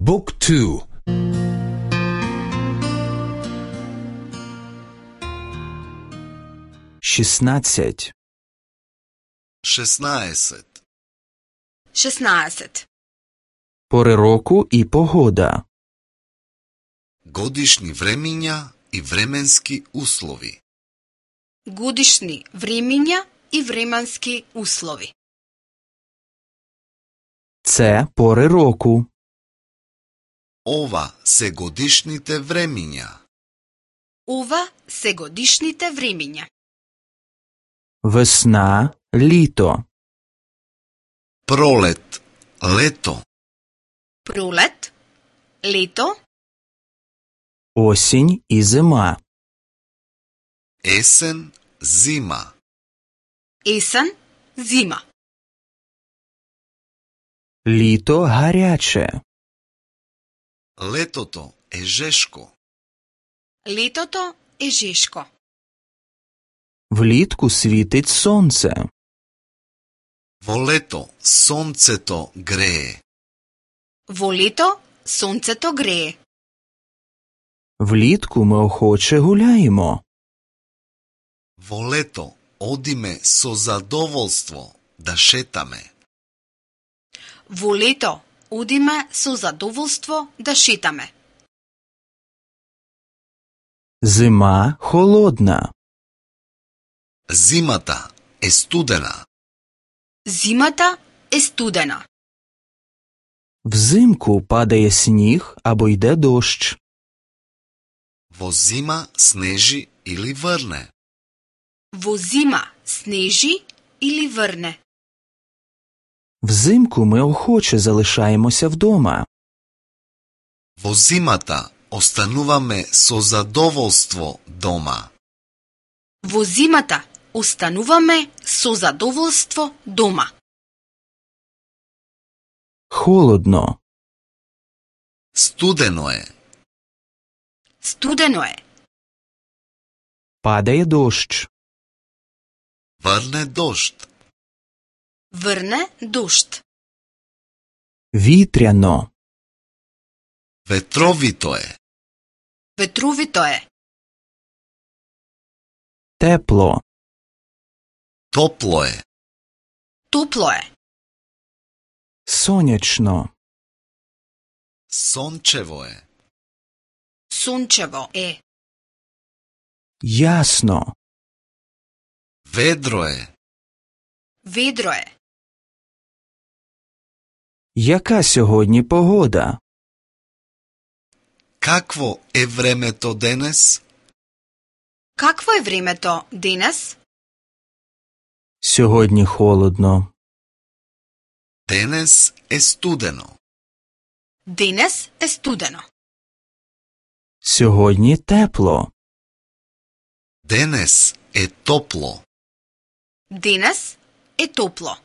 Book 2. 16. 16. 16. Пори року і погода. Годишни времиња и временски услови. Годишни времиња и временски услови. Це пори року. Ова се годишните времиња. Ова се годишните времиња. Весна, літо. Пролет, лето. Пролет, лето, Осінь і зима. Есен, зима. есен, зима. Літо гаряче. Летото е жешко. Летото е жешко. Влітку світить сонце. Во лето сонцето грее. Во лето сонцето грее. Влітку ми охоче гуляємо. Во лето одиме со задоволство да шетаме. Во лето одиме со задоволство да шетаме. Зима холодна. Зимата е студена. Зимата е студена. Взимку падає сніг або йде дощ. Во зима снежи или врне. Во зима снежи или врне. Взимку ми охоче залишаємося вдома. Во зимата остануваме со задоволство дома. Во зимата остануваме со задоволство дома. Холодно. Студено е. Студено е. Падає дощ. Врне дожд. Врне дожд. Вітряно. Ветровито е. Ветровито е. Тепло. Топло е. Топло е. Сонячно. Сончево е. Сончево е. Ясно. Ведро е. Ведро е. Яка сьогодні погода? Какво е времето денес? Какво е времето денес? Сьогодні холодно. Денес е студено. Денес е студено. Сьогодні тепло. Денес е топло. Денес е топло.